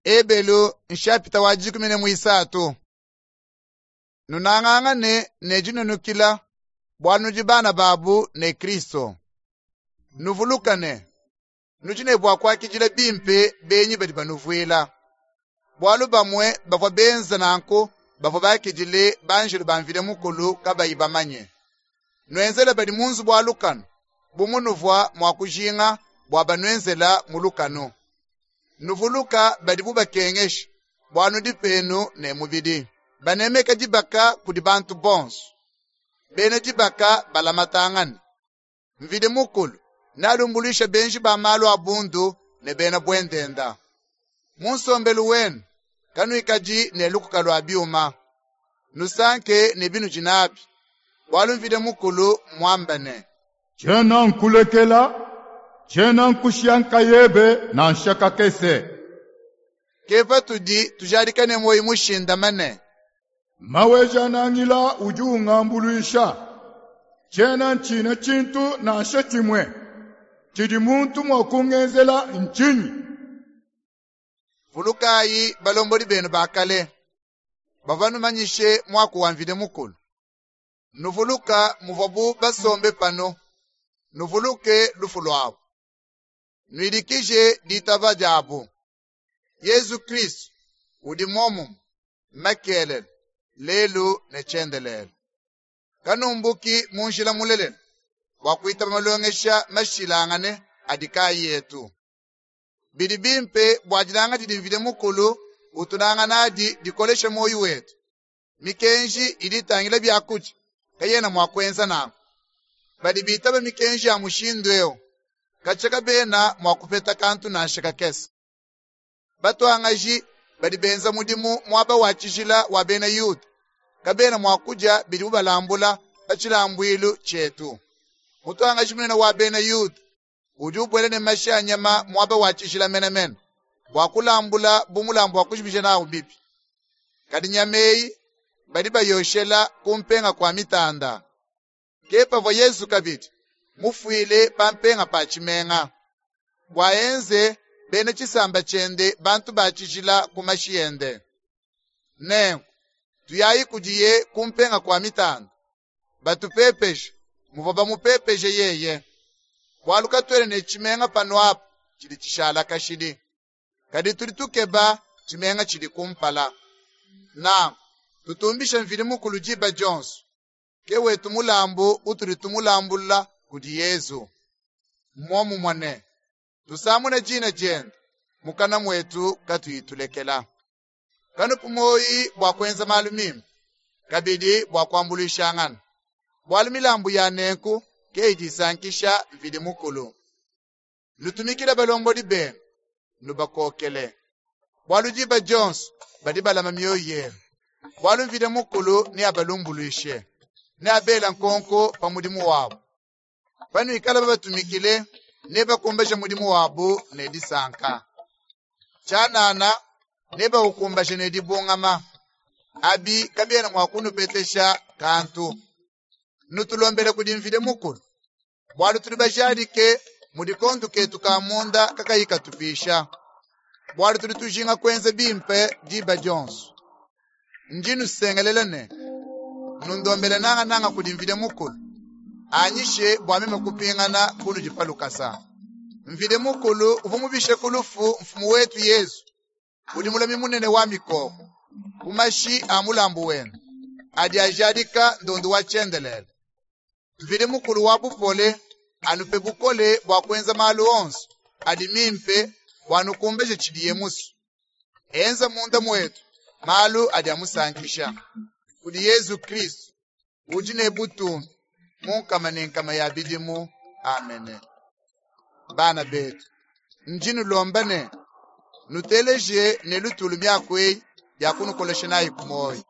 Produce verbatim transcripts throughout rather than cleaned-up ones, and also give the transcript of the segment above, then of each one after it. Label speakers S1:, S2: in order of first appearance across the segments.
S1: Ebelu nshapita wa dikumi ne muisatu. Nunangangane ne dinunukila bualu nudi bana babu ne Kristo. Nuvulukane, nudi ne bua kuakidila bimpe benyi badi banuvuila. Bualu bamue bavua benza nanku bavua bakidile banjelu ba Mvidi Mukulu kabayi bamanye. Nuenzele badi mu nzubu wa lukanu bu munuvua mua kujinga bua banuenzela mu lukanu. Nuvuluka badibu bakengesha bualu nudi penu ne mubidi. Banemeka dibaka kudi bantu bonso. Bena dibaka balamatangane. Mvidi Mukulu nealumbuluishe benji ba malu a bundu ne bena buendenda. Mu nsombelu wenu kanuikadi ne lukuka lua biuma. Nusanke ne binudi nabi. Bualu Mvidi Mukulu mmuambe ne,
S2: Tshiena nkulekela, tshiena nkushiya nkayebe nansha kakese.
S1: Ke patudi tujadika ne muoyo mushindame.
S2: Maweja-Nangila udi ungambuluisha. Tshiena ntshina tshintu nansha tshimue. Tshidi muntu mua kungenzela ntshinyi?
S1: Vulukayi balombodi benu ba kale, bavua banumanyishe muaku wa Mvidi Mukulu. Nuvuluka muvuabu basombe panu, nuvuluke lufu luabu. Nuidikije ditaba diabu. Yezu Kristu udi momumue makelela, lelu ne tshiendelele. Kanumbuki mu njila mulelela bua kuitaba malongesha mashilangane adi kaayi etu. Bidi bimpe bua dinanga didi Mvidi Mukulu utunanga nadi dikoleshe muoyo wetu. Mikenji idi itangila biakudia kayena mua kuenza nanku. Badi bitaba mikenji ya mushindu eu, katshia kabena mua kupeta kantu nansha kakese. Batuangaji badi benza mudimu muaba wa tshijila wa bena Yuda, kabena mua kudia bidibu balambula pa tshilambuilu tshietu. Mutuangaji munene wa bena Yuda udi ubuela ne mashi a nyama muaba wa tshijila menemene, bua kulambula bu mulambu wa kujimija nawu bibi. Kadi nyama eyi badi bayoshela ku mpenga kua mitanda. Ke pavua Yezu kabidi mufuile pa mpenga pa tshimenga, bua enze bena tshisamba tshiende bantu ba tshijila ku mashi ende. Nenku tuyayi kudiye ku mpenga kua mitanda, batupepeje muvua bamupepeje yeye. Bualu katuena ne tshimenga panu apa tshidi tshishala kashidi. Kadi tudi tukeba tshimenga tshidi kumpala. Nanku tutumbishe Mvidi Mukulu diba dionso. Ke wetu mulambu utudi tumulambula kudi Yezu. Mmomumue ne tusamune dina diende mukana muetu katuyi tulekela. Kanupu muoyo bua kuenza malu mimpe, kabidi bua kuambuluishangana. Bualu milambu ya nenku ke idi isankisha Mvidi Mukulu. Nutumikile balombodi benu, nubakokele. Bualu diba dionso badi balama mioyo yenu. Bualu Mvidi Mukulu neabalumbuluishe, neabele nkonko pa mudimu wabu. Panuikala babatumikile, nebakumbaje mudimu wabu ne disanka. Tshianana nebaukumbaje ne dibungama. Abi kabiena mua kunupetesha kantu. Nutulombele kudi Mvidi Mukulu. Bualu tudi bajadike mudi kondu ketu ka munda kakayi katupisha. Bualu tudi tujinga kuenza bimpe diba dionso. Ndi nusengelela ne nundombele nangananga kudi Mvidi Mukulu. Anyishe bua meme kupingana kunudi pa lukasa. Mvidi Mukulu uvua mubishe ku lufu mfumu wetu Yezu, udi mulami munene wa mikoko, ku mashi a mulambu wende adi ajadika ndondu wa tshiendelele. Mvidi Mukulu wa bupole anupe bukole bua kuenza malu onso adi mimpe bua nukumbaje tshidiye musue. Enza munda muetu malu adi amusankisha. Kudi Yezu Kristu udi ne butumbi mu nkama ne nkama ya bidimu. Amene. Bana betu, ndi nulomba ne nuteleje ne lutulu miaku eyi ya kunukolesha nayi ku muoyo.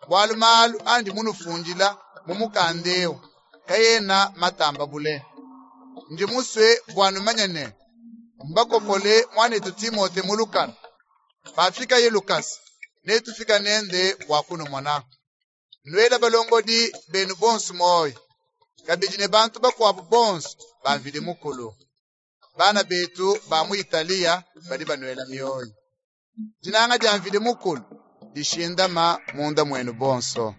S1: Bualu malu andi munufundila mu mukanda eu kayena matamba bule. Ndi musue bua numanye ne mbakopole muanetu Timote mu lukanu. Pafikaye lukasa netufika nende bua kunumona. Nuele balombodi benu bonso muoyo, kabidi ne bantu bakuabu bonso ba Mvidi Mukulu. Bana betu ba mu Italiya badi banuela mioyo. Dinanga dia Mvidi Mukulu dishindama munda muenu bonso.